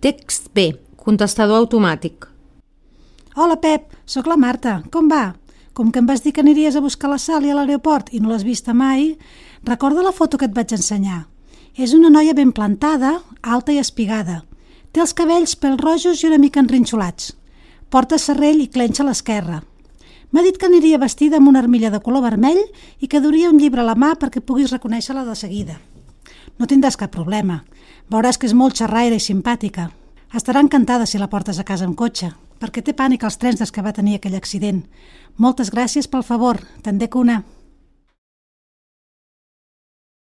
Text B, contestador automàtic. Hola, Pep, sóc la Marta. Com va? Com que em vas dir que aniries a buscar la Sally a l'aeroport i no l'has vista mai, recorda la foto que et vaig ensenyar. És una noia ben plantada, alta i espigada. Té els cabells pèl rojos i una mica enrinxolats. Porta serrell i clenxa a l'esquerra. M'ha dit que aniria vestida amb una armilla de color vermell i que duria un llibre a la mà perquè puguis reconèixer-la de seguida. No tindràs cap problema. Veuràs que és molt xerraire i simpàtica. Estarà encantada si la portes a casa amb cotxe, perquè té pànic als trens des que va tenir aquell accident. Moltes gràcies pel favor. Te'n dec una.